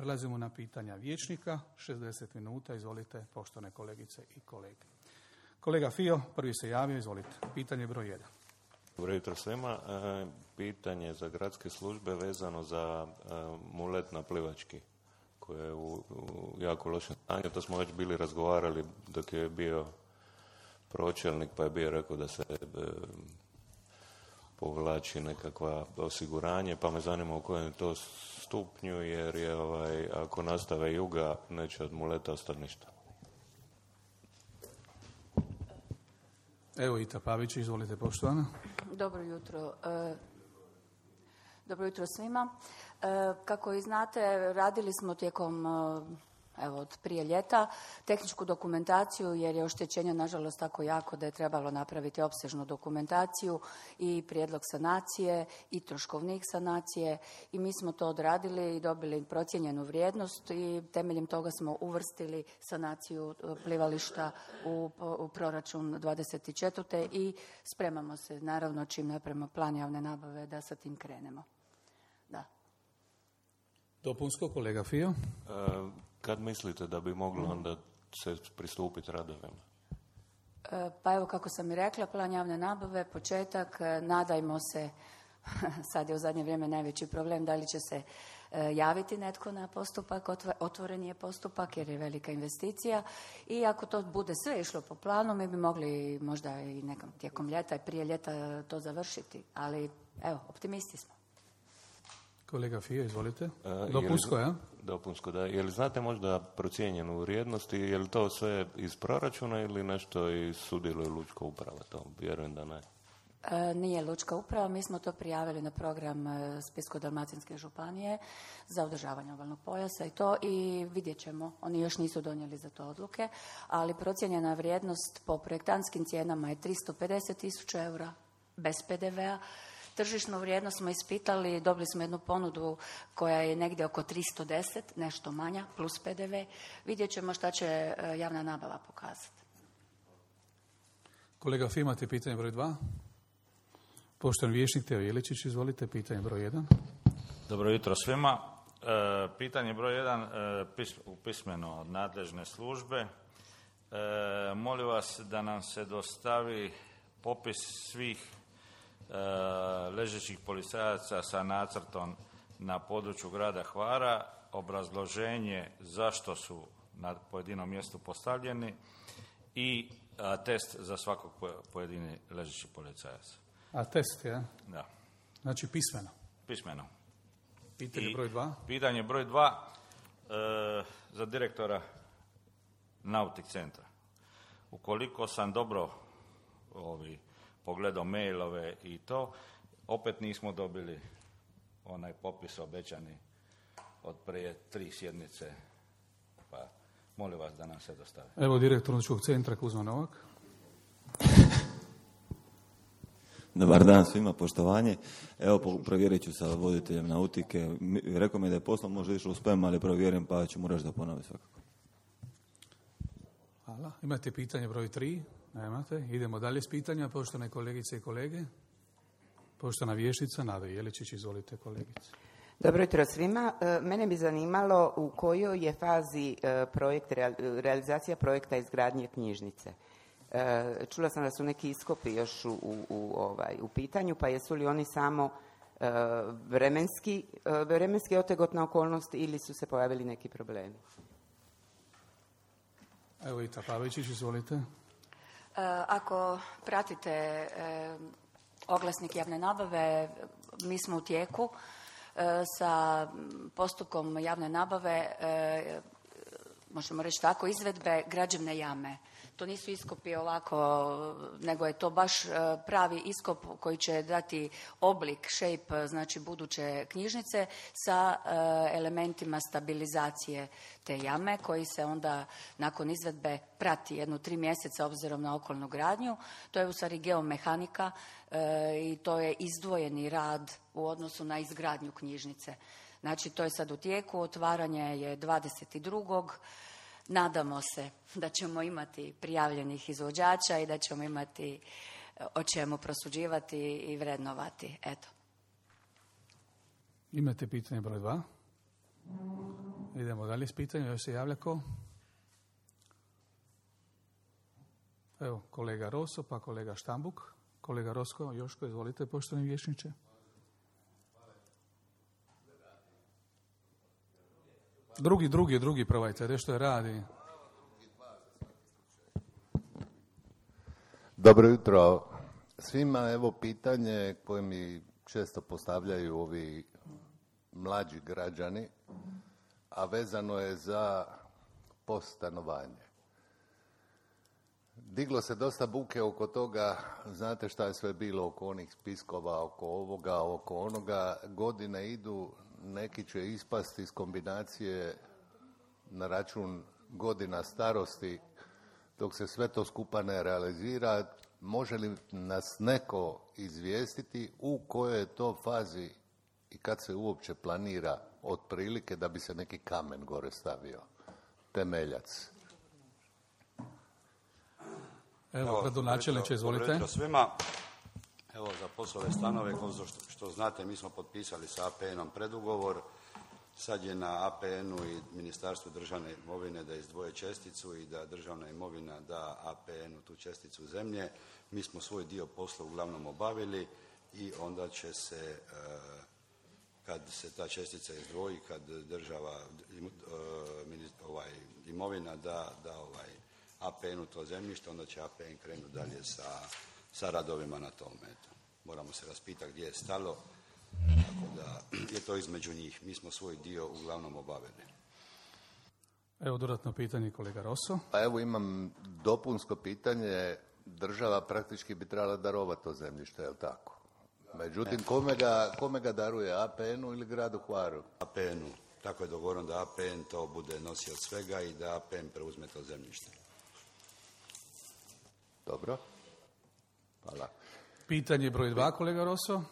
Prelazimo na pitanja vijećnika. 60 minuta. Izvolite, poštovane kolegice i kolege. Kolega Fio, prvi se javio. Izvolite. Pitanje broj 1. Dobro jutro svima. Pitanje za gradske službe vezano za mulet na Plivački, koji je u jako lošem stanju. To smo već bili razgovarali dok je bio pročelnik, pa je bio rekao da se povlači nekakva osiguranje, pa me zanima u kojem je to stupnju, jer je ako nastave juga, neće od muleta ostati ništa. Evo Ita Pavić, izvolite, poštovana. Dobro jutro. Dobro jutro svima. Kako i znate, radili smo tijekom od prije ljeta tehničku dokumentaciju, jer je oštećenje nažalost tako jako da je trebalo napraviti opsežnu dokumentaciju i prijedlog sanacije i troškovnik sanacije, i mi smo to odradili i dobili procijenjenu vrijednost i temeljem toga smo uvrstili sanaciju plivališta u proračun 24. i spremamo se naravno čim napravimo plan javne nabave da sa tim krenemo. Da. Dopunsko, kolega Fio. Kad mislite da bi moglo onda se pristupiti radovima? Pa evo, kako sam i rekla, plan javne nabave, početak, nadajmo se, sad je u zadnje vrijeme najveći problem da li će se javiti netko na postupak, otvoren je postupak jer je velika investicija, i ako to bude sve išlo po planu, mi bi mogli možda i nekom tijekom ljeta i prije ljeta to završiti, ali evo, optimisti smo. Kolega Fio, izvolite. Dopunsko, ja? Dopunsko, da. Je li znate možda procijenjenu vrijednost i je li to sve iz proračuna ili nešto i sudjeluje Lučka uprava? To vjerujem da ne. Nije Lučka uprava, mi smo to prijavili na program Splitsko-dalmatinske županije za održavanje obalnog pojasa i vidjet ćemo. Oni još nisu donijeli za to odluke, ali procijenjena vrijednost po projektantskim cijenama je 350.000 eura bez PDV-a. Tržišnu vrijednost smo ispitali, dobili smo jednu ponudu koja je negdje oko 310, nešto manja, plus PDV. Vidjet ćemo šta će javna nabava pokazati. Kolega Fio, imate pitanje broj 2. Poštovani vijećnik Teo Jeličić, izvolite, pitanje broj 1. Dobro jutro svima. Pitanje broj 1, pismeno od nadležne službe. Molim vas da nam se dostavi popis svih ležećih policajaca sa nacrtom na području grada Hvara, obrazloženje zašto su na pojedinom mjestu postavljeni i test za svakog pojedini ležeći policajac. A test, ja? Da. Znači pismeno. Pismeno. Pitanje broj 2. Pitanje broj 2 za direktora Nautik centra. Ukoliko sam dobro pogledao mailove i to, opet nismo dobili onaj popis obećani od prije 3 sjednice, pa molim vas da nam se dostavi. Evo direktor Naučkog centra Kuzma Novak. Dobar dan svima, poštovanje. Evo, provjerit ću sa voditeljem Nautike. Rekao mi da je poslo možda išlo u spam, ali provjerim, pa ću mu reći da ponovi svakako. Hvala. Imate pitanje broj 3? Nemate. Idemo dalje s pitanjima, poštovane kolegice i kolege. Poštovana vijećnica Nada Jeličić, izvolite kolegice. Dobro jutro svima. Mene bi zanimalo u kojoj je fazi realizacija projekta izgradnje knjižnice. Čula sam da su neki iskopi još u pitanju, pa jesu li oni samo vremenski otegotna okolnost ili su se pojavili neki problemi? Evo Ita Pavićić, izvolite. Ako pratite oglasnik javne nabave, mi smo u tijeku sa postupkom javne nabave, možemo reći tako, izvedbe građevne jame. To nisu iskopi ovako, nego je to baš pravi iskop koji će dati oblik, shape, znači buduće knjižnice sa elementima stabilizacije te jame koji se onda nakon izvedbe prati 1-3 mjeseca obzirom na okolnu gradnju. To je u stvari geomehanika i to je izdvojeni rad u odnosu na izgradnju knjižnice. Znači to je sad u tijeku, otvaranje je 22. Nadamo se da ćemo imati prijavljenih izvođača i da ćemo imati o čemu prosuđivati i vrednovati. Eto. Imate pitanje broj 2? Idemo dalje s pitanjem. Još se javlja ko? Evo, kolega Roso, pa kolega Štambuk. Kolega Rosko, Joško, izvolite, poštovani vijećniče. Drugi probajte, nešto je radi. Dobro jutro svima. Evo pitanje koje mi često postavljaju ovi mlađi građani, a vezano je za postanovanje. Diglo se dosta buke oko toga, znate šta je sve bilo oko onih spiskova, oko ovoga, oko onoga. Godine idu, neki će ispasti iz kombinacije na račun godina starosti, dok se sve to skupa ne realizira. Može li nas neko izvijestiti u kojoj je to fazi i kad se uopće planira otprilike da bi se neki kamen gore stavio, temeljac? Evo, gradonačelniče, izvolite. Dobro svima. Evo, za POS-ove stanove, kao što znate, mi smo potpisali sa APN-om predugovor. Sad je na APN-u i Ministarstvu državne imovine da izdvoje česticu i da državna imovina da APN-u tu česticu zemlje. Mi smo svoj dio posla uglavnom obavili i onda će se, kad se ta čestica izdvoji, kad država, imovina da APN-u to zemljište, onda će APN krenuti dalje sa radovima na tome. Moramo se raspitati gdje je stalo, tako da je to između njih. Mi smo svoj dio uglavnom obavili. Evo dodatno pitanje kolega Roso. Pa evo imam dopunsko pitanje. Država praktički bi trebala darovati to zemljište, je li tako? Međutim, kome ga daruje, APN-u ili gradu Hvaru? APN-u. Tako je dogovoreno da APN to bude nosio od svega i da APN preuzme to zemljište. Dobro. Hvala. Pitanje broj 2, kolega Roso.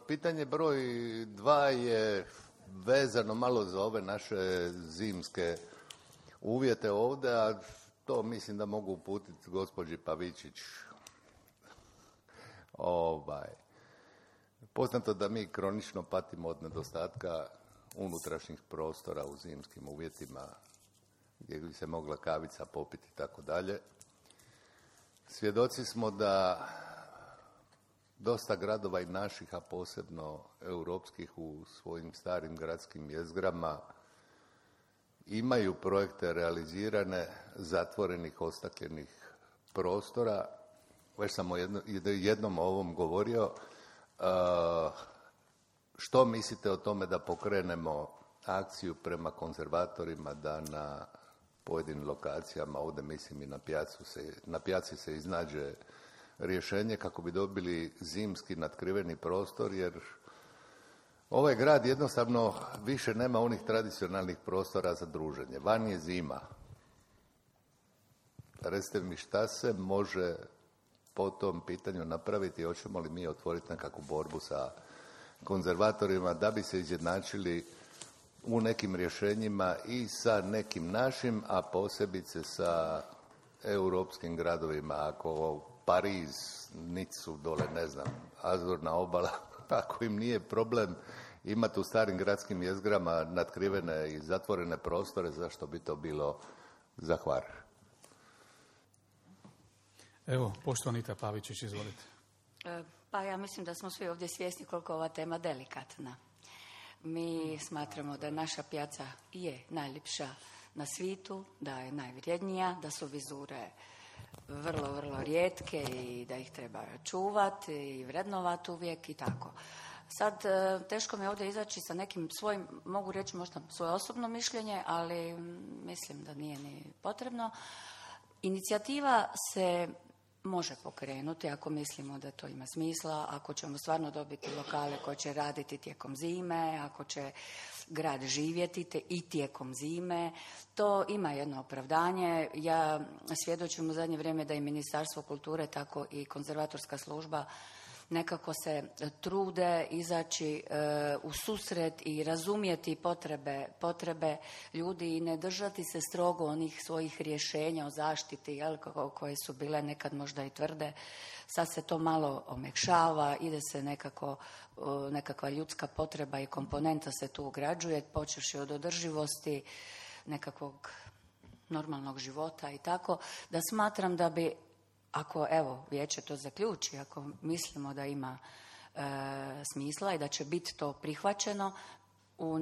Pitanje broj 2 je vezano malo za ove naše zimske uvjete ovdje, a to mislim da mogu uputiti gospođi Pavičić. Poznato da mi kronično patimo od nedostatka unutrašnjih prostora u zimskim uvjetima gdje bi se mogla kavica popiti i tako dalje. Svjedoci smo da dosta gradova i naših, a posebno europskih u svojim starim gradskim jezgrama imaju projekte realizirane zatvorenih, ostakljenih prostora. Već sam jednom o ovom govorio. Što mislite o tome da pokrenemo akciju prema konzervatorima da na pojedinim lokacijama, ovdje mislim i na pijaci se iznađe rješenje kako bi dobili zimski natkriveni prostor, jer ovaj grad jednostavno više nema onih tradicionalnih prostora za druženje. Van je zima. Recite mi šta se može po tom pitanju napraviti, hoćemo li mi otvoriti nekakvu borbu sa konzervatorima da bi se izjednačili u nekim rješenjima i sa nekim našim, a posebice sa europskim gradovima. Ako Pariz, Nicu, dole, ne znam, Azurna obala, ako im nije problem imati u starim gradskim jezgrama natkrivene i zatvorene prostore, zašto bi to bilo za Hvar? Evo, poštovanita Pavičić, izvolite. Pa ja mislim da smo svi ovdje svjesni koliko je ova tema delikatna. Mi smatramo da naša pijaca je najljepša na svijetu, da je najvrijednija, da su vizure vrlo, vrlo rijetke i da ih treba čuvati i vrednovati uvijek i tako. Sad, teško mi je ovdje izaći sa nekim svojim, mogu reći možda svoje osobno mišljenje, ali mislim da nije ni potrebno. Inicijativa se može pokrenuti ako mislimo da to ima smisla, ako ćemo stvarno dobiti lokale koje će raditi tijekom zime, ako će grad živjeti i tijekom zime. To ima jedno opravdanje. Ja svjedočim u zadnje vrijeme da i Ministarstvo kulture, tako i konzervatorska služba nekako se trude izaći u susret i razumjeti potrebe ljudi i ne držati se strogo onih svojih rješenja o zaštiti, jel, koje su bile nekad možda i tvrde. Sad se to malo omekšava, ide se nekakva ljudska potreba i komponenta se tu ugrađuje, počevši od održivosti, nekakvog normalnog života i tako, da smatram da bi, ako evo vijeće to zaključi, ako mislimo da ima smisla i da će biti to prihvaćeno u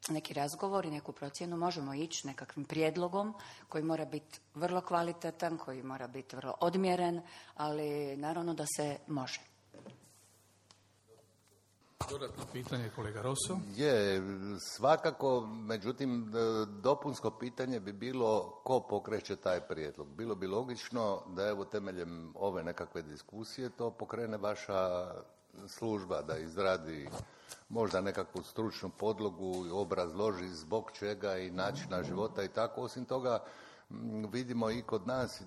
neki razgovor i neku procjenu, možemo ići nekakvim prijedlogom koji mora biti vrlo kvalitetan, koji mora biti vrlo odmjeren, ali naravno da se može. Dodatno pitanje, kolega Rosso. Je, svakako, međutim, dopunsko pitanje bi bilo ko pokreće taj prijedlog. Bilo bi logično da evo temeljem ove nekakve diskusije to pokrene vaša služba, da izradi možda nekakvu stručnu podlogu, obrazloži zbog čega i načina života i tako. Osim toga, vidimo i kod nas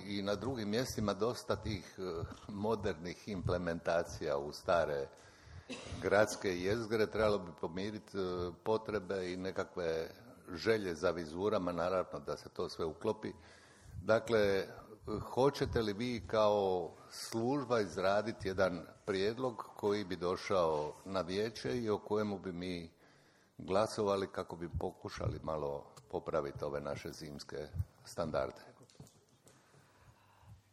i na drugim mjestima dosta tih modernih implementacija u stare gradske jezgre. Trebalo bi pomiriti potrebe i nekakve želje za vizurama, naravno da se to sve uklopi. Dakle, hoćete li vi kao služba izraditi jedan prijedlog koji bi došao na vijeće i o kojemu bi mi glasovali kako bi pokušali malo popraviti ove naše zimske standarde?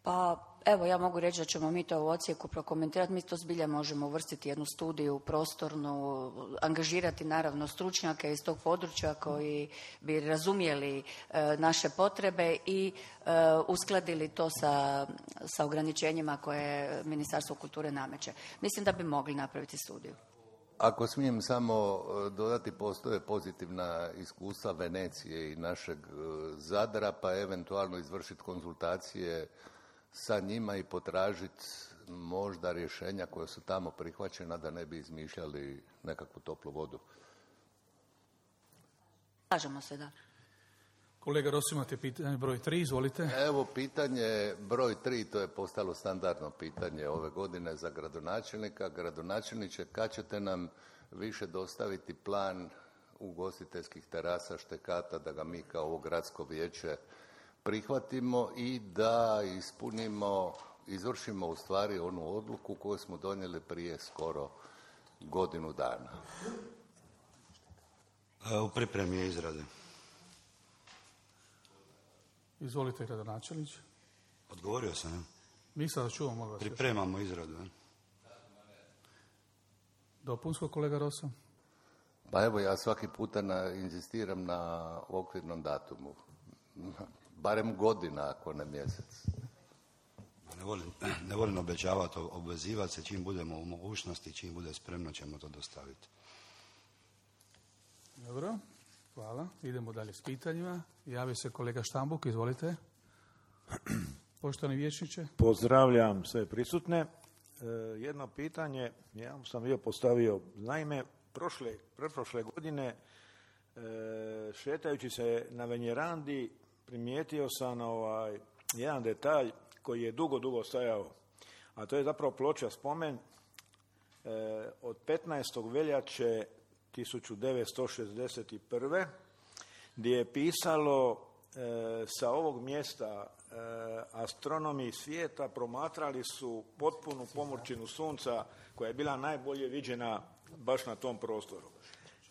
Pa evo, ja mogu reći da ćemo mi to u odsjeku prokomentirati. Mi to zbilja možemo uvrstiti jednu studiju prostornu, angažirati naravno stručnjake iz tog područja koji bi razumjeli naše potrebe i uskladili to sa ograničenjima koje Ministarstvo kulture nameće. Mislim da bi mogli napraviti studiju. Ako smijem samo dodati, postoje pozitivna iskustva Venecije i našeg Zadra, pa eventualno izvršiti konzultacije sa njima i potražiti možda rješenja koja su tamo prihvaćena da ne bi izmišljali nekakvu toplu vodu. Slažemo se, da. Kolega Rosso, imate pitanje broj 3, izvolite. Evo, pitanje broj 3, to je postalo standardno pitanje ove godine za gradonačelnika. Gradonačelniče, kad ćete nam više dostaviti plan ugostiteljskih terasa, štekata, da ga mi kao ovo gradsko vijeće prihvatimo i da izvršimo u stvari onu odluku koju smo donijeli prije skoro godinu dana? U pripremi je izrade. Izvolite, gradonačelniče. Odgovorio sam. Nisam da čuvam, molim vas. Pripremamo izradu. Dopunsko, kolega Rosso? Pa evo, ja svaki puta inzistiram na okvirnom datumu. Barem godina, ako ne mjesec. Ne volim obećavati, obvezivati se. Čim budemo u mogućnosti, čim bude spremno, ćemo to dostaviti. Dobro, hvala. Idemo dalje s pitanjima. Javi se kolega Štambuk, izvolite. Poštovani vijećniče. Pozdravljam sve prisutne. Jedno pitanje, ja sam bio postavio, naime, pretprošle godine, šetajući se na Venjerandi, primijetio sam jedan detalj koji je dugo stajao, a to je zapravo ploča spomen od 15. veljače 1961. gdje je pisalo sa ovog mjesta astronomi svijeta promatrali su potpunu pomrčinu sunca koja je bila najbolje viđena baš na tom prostoru.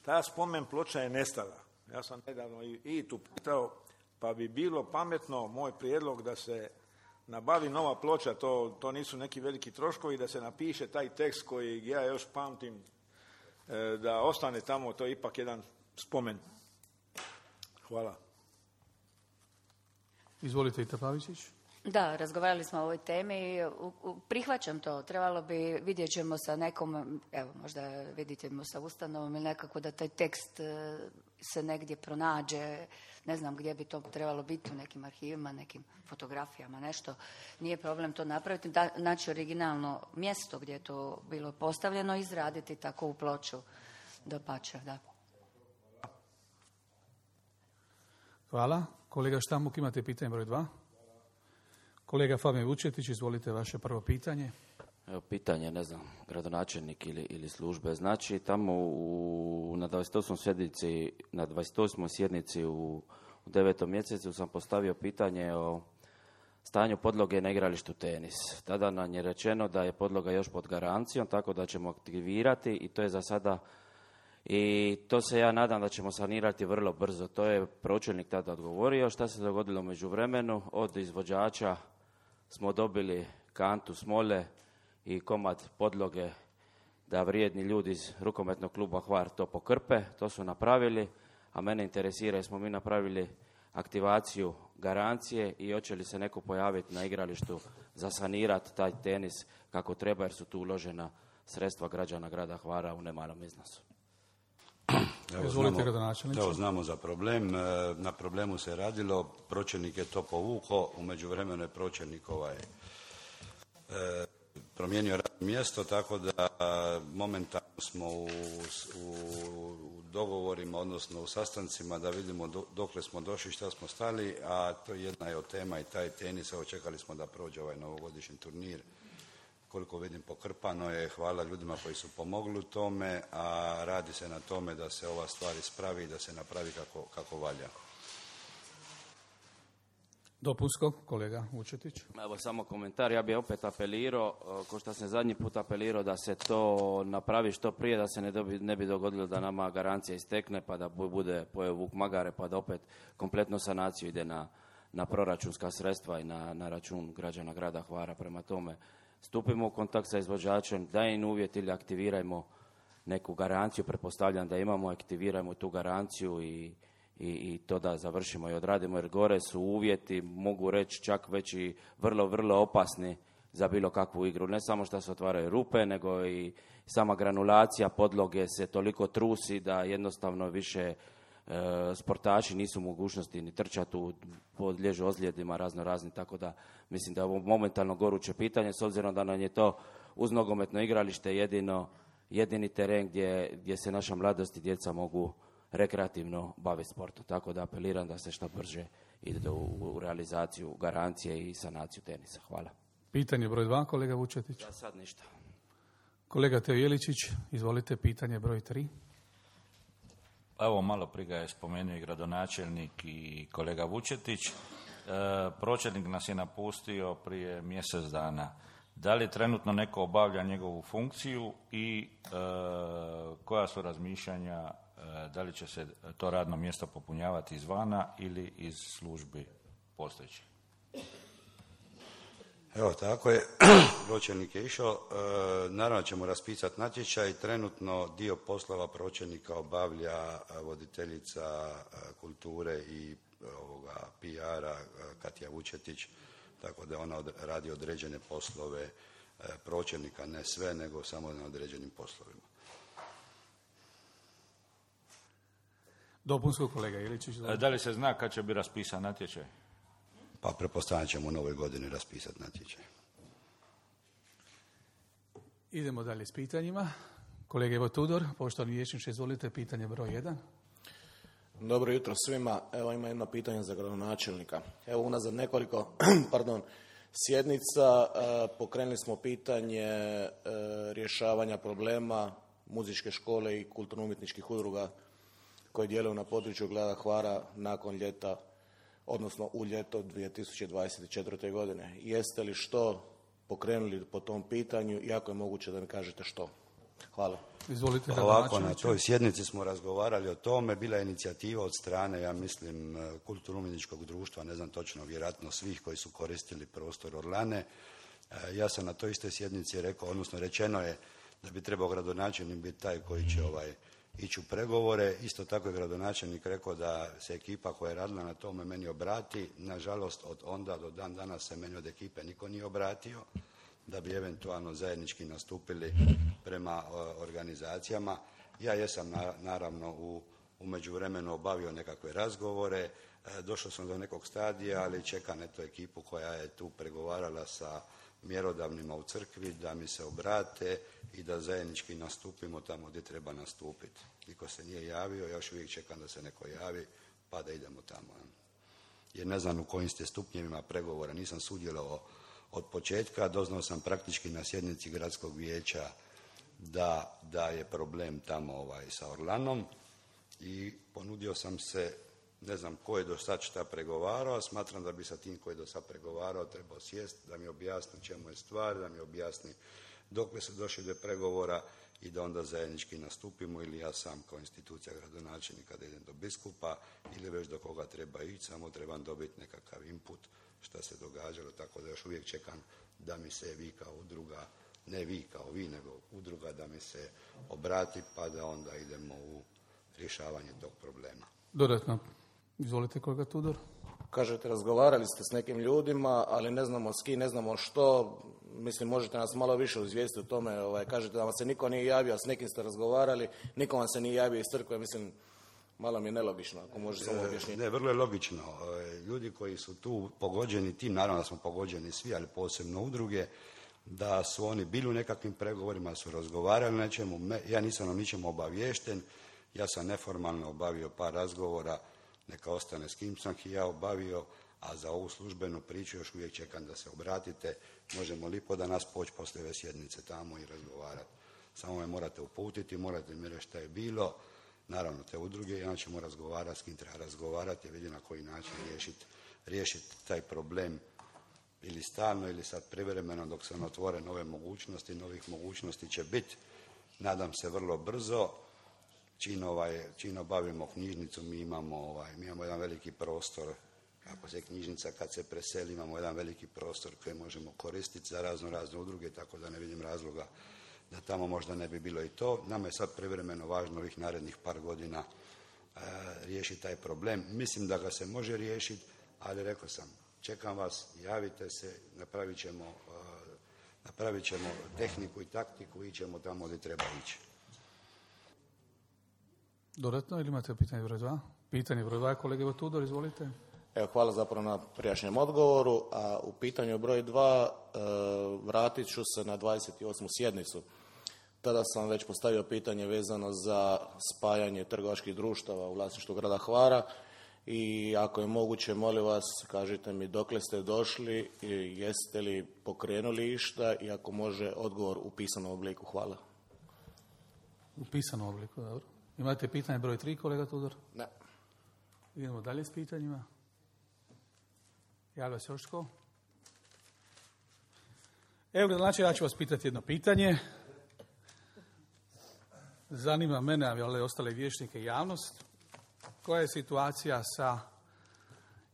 Ta spomen ploča je nestala. Ja sam nedavno i tu pitao, pa bi bilo pametno, moj prijedlog, da se nabavi nova ploča, to nisu neki veliki troškovi, da se napiše taj tekst koji ja još pamtim, da ostane tamo, to je ipak jedan spomen. Hvala. Izvolite, Ita Pavičić. Da, razgovarali smo o ovoj temi. Prihvaćam to. Trebalo bi, vidjet ćemo sa nekom, evo, možda vidjet ćemo sa ustanovom ili nekako da taj tekst se negdje pronađe. Ne znam gdje bi to trebalo biti, u nekim arhivima, nekim fotografijama, nešto. Nije problem to napraviti. Naći originalno mjesto gdje je to bilo postavljeno, izraditi takovu ploču. Dapače, da. Hvala. Kolega Štambuk, imate pitanje broj 2. Kolega Fabijan Vučetić, izvolite vaše prvo pitanje. Evo, pitanje, ne znam, gradonačelnik ili službe. Znači, tamo na 28. sjednici u 9. mjesecu sam postavio pitanje o stanju podloge na igralištu tenis. Tada nam je rečeno da je podloga još pod garancijom, tako da ćemo aktivirati i to je za sada, i to se ja nadam da ćemo sanirati vrlo brzo. To je pročelnik tada odgovorio. Šta se dogodilo u međuvremenu? Od izvođača smo dobili kantu smole i komad podloge da vrijedni ljudi iz rukometnog kluba Hvar to pokrpe. To su napravili, a mene interesira jesmo mi napravili aktivaciju garancije i hoće li se neko pojaviti na igralištu za sanirati taj tenis kako treba, jer su tu uložena sredstva građana grada Hvara u nemalom iznosu. Evo znamo za problem, na problemu se radilo, pročelnik je to povukao, u međuvremenu je pročelnik promijenio radno mjesto, tako da momentalno smo u dogovorima, odnosno u sastancima da vidimo dokle smo došli, šta smo stali, a to jedna je od tema i taj tenis. Evo, čekali smo da prođe ovaj novogodišnji turnir. Koliko vidim, pokrpano je, hvala ljudima koji su pomogli u tome, a radi se na tome da se ova stvar ispravi i da se napravi kako valja. Dopunsko, kolega Vučetić. Evo samo komentar, ja bih opet apelirao, ko što sam zadnji put apelirao, da se to napravi što prije, da se ne bi dogodilo da nama garancija istekne, pa da bude pojeo vuk magare, pa da opet kompletno sanaciju ide na proračunska sredstva i na račun građana grada Hvara. Prema tome, stupimo u kontakt sa izvođačem, daj im uvjet ili aktivirajmo neku garanciju, pretpostavljam da imamo, aktivirajmo tu garanciju i to da završimo i odradimo, jer gore su uvjeti, mogu reći čak već i vrlo, vrlo opasni za bilo kakvu igru. Ne samo što se otvaraju rupe, nego i sama granulacija podloge se toliko trusi da jednostavno više sportaši nisu u mogućnosti ni trčati, podliježu ozljedima razni, tako da mislim da je ovo momentalno goruće pitanje, s obzirom da nam je to uz nogometno igralište jedini teren gdje se naša mladost i djeca mogu rekreativno baviti sportom. Tako da apeliram da se što brže ide u realizaciju garancije i sanaciju tenisa. Hvala. Pitanje broj 2, kolega Vučetić. Ja sad ništa. Kolega Teo Jeličić, izvolite, pitanje broj 3. Evo, malo prije ga je spomenuo i gradonačelnik i kolega Vučetić. Pročelnik nas je napustio prije mjesec dana. Da li trenutno neko obavlja njegovu funkciju i koja su razmišljanja, da li će se to radno mjesto popunjavati izvana ili iz službi postojećih? Evo, tako je. Pročelnik je išao. Naravno ćemo raspisati natječaj. Trenutno dio poslova pročelnika obavlja voditeljica kulture i PR-a Katja Vučetić, tako da ona radi određene poslove pročelnika, ne sve, nego samo na određenim poslovima. Dopunsko, kolega Iličić. Da li se zna kad će biti raspisan natječaj? Pa pretpostavljam ćemo u novoj godini raspisati natječaj. Idemo dalje s pitanjima. Kolega Ivo Tudor, poštovani vijećniče, izvolite, pitanje broj 1. Dobro jutro svima. Evo, ima jedno pitanje za gradonačelnika. Evo, unazad nekoliko sjednica pokrenuli smo pitanje rješavanja problema muzičke škole i kulturno-umjetničkih udruga koje djeluju na području grada Hvara nakon ljeta, odnosno u ljeto 2024. godine. Jeste li što pokrenuli po tom pitanju i ako je moguće da mi kažete što? Hvala. Izvolite. Ovako, na toj sjednici smo razgovarali o tome, bila je inicijativa od strane, ja mislim, kulturno-umjetničkog društva, ne znam točno, vjerojatno svih koji su koristili prostor Orlane. Ja sam na toj istoj sjednici rekao, odnosno rečeno je da bi trebao gradonačelnik biti taj koji će ići u pregovore. Isto tako je gradonačelnik rekao da se ekipa koja je radila na tome meni obrati. Nažalost, od onda do dan danas se meni od ekipe niko nije obratio, da bi eventualno zajednički nastupili prema organizacijama. Ja jesam naravno u međuvremenu obavio nekakve razgovore, došao sam do nekog stadija, ali čekam eto ekipu koja je tu pregovarala sa mjerodavnima u crkvi da mi se obrate i da zajednički nastupimo tamo gdje treba nastupiti. Niko se nije javio, ja još uvijek čekam da se neko javi pa da idemo tamo. Jer ne znam u kojim ste stupnjevima pregovora, nisam sudjelovao od početka. Doznao sam praktički na sjednici gradskog vijeća da je problem tamo sa Orlanom i ponudio sam se, ne znam ko je do sad šta pregovarao, a smatram da bi sa tim ko je do sad pregovarao trebao sjest, da mi objasni čemu je stvar, da mi objasni dokle se došli do pregovora i da onda zajednički nastupimo, ili ja sam kao institucija gradonačelnika da idem do biskupa ili već do koga treba ići, samo trebam dobiti nekakav input šta se događalo, tako da još uvijek čekam da mi se vi kao udruga, ne vi kao vi, nego udruga da mi se obrati pa da onda idemo u rješavanje tog problema. Dodatno, izvolite kolega Tudor. Kažete, razgovarali ste s nekim ljudima, ali ne znamo s kim, ne znamo što. Mislim, možete nas malo više izvijestiti o tome. Kažete da vam se niko nije javio, a s nekim ste razgovarali, niko vam se nije javio iz crkve. Mislim, malo mi je nelogično, ako može samo objašnjiti. Ne, vrlo je logično. Ljudi koji su tu pogođeni tim, naravno da smo pogođeni svi, ali posebno udruge, da su oni bili u nekakvim pregovorima, su razgovarali o nečemu. Ja nisam o ničemu obaviješten, ja sam neformalno obavio par razgovora, neka ostane s kim sam ih ja obavio, a za ovu službenu priču još uvijek čekam da se obratite. Možemo lipo da nas poći poslije ove sjednice tamo i razgovarati. Samo me morate uputiti, morate mi reći šta je bilo. Naravno, te udruge, ja ćemo razgovarati s kim treba razgovarati i vidjeti na koji način riješiti taj problem ili stalno ili sad privremeno dok se ne otvore nove mogućnosti. Novih mogućnosti će biti, nadam se, vrlo brzo. Čim obavimo knjižnicu, mi imamo jedan veliki prostor. Ako se knjižnica kad se preseli, imamo jedan veliki prostor koji možemo koristiti za razne udruge, tako da ne vidim razloga da tamo možda ne bi bilo i to. Nama je sad privremeno važno ovih narednih par godina riješiti taj problem. Mislim da ga se može riješiti, ali rekao sam, čekam vas, javite se, napravit ćemo tehniku i taktiku i ćemo tamo gdje treba ići. Dodatno ili imate pitanje broj 2? Pitanje broj 2, kolega Tudor, izvolite. Evo, hvala zapravo na prijašnjem odgovoru, a u pitanju broj 2 vratit ću se na 28. sjednicu. Tada sam već postavio pitanje vezano za spajanje trgovačkih društava u vlasništvu grada Hvara i ako je moguće, molim vas, kažite mi dokle ste došli i jeste li pokrenuli išta i ako može odgovor u pisanom obliku. Hvala. U pisanom obliku, dobro. Imate pitanje broj 3, kolega Tudor? Ne. Idemo dalje s pitanjima. Javlja se još tko? Evo, znači, ja ću vas pitati jedno pitanje. Zanima mene, ali i ostale vijećnike i javnost, koja je situacija sa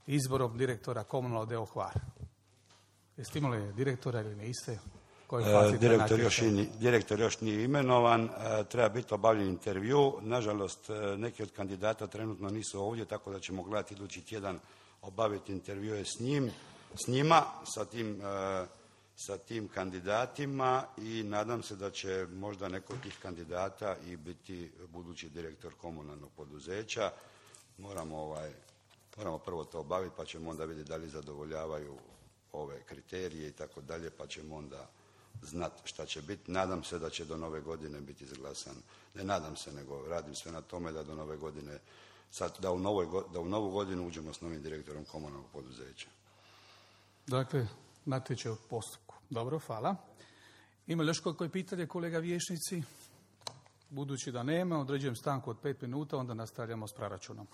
izborom direktora komunalnog deo Hvar? Jeste imali direktora ili niste? Direktor još nije imenovan, treba biti obavljen intervju. Nažalost, neki od kandidata trenutno nisu ovdje, tako da ćemo gledati idući tjedan obaviti intervjue s njima, sa tim kandidatima i nadam se da će možda neko od tih kandidata i biti budući direktor komunalnog poduzeća. Moramo prvo to obaviti pa ćemo onda vidjeti da li zadovoljavaju ove kriterije i tako dalje, pa ćemo onda znati šta će biti. Nadam se da će do nove godine biti izglasan. Ne nadam se, nego radim sve na tome da do nove godine, da u novu godinu uđemo s novim direktorom komunalnog poduzeća. Dakle, natječaj u postupku. Dobro, hvala. Ima li još koje pitanje, kolega vijećnici? Budući da nema, određujem stanku od 5 minuta, onda nastavljamo s proračunom.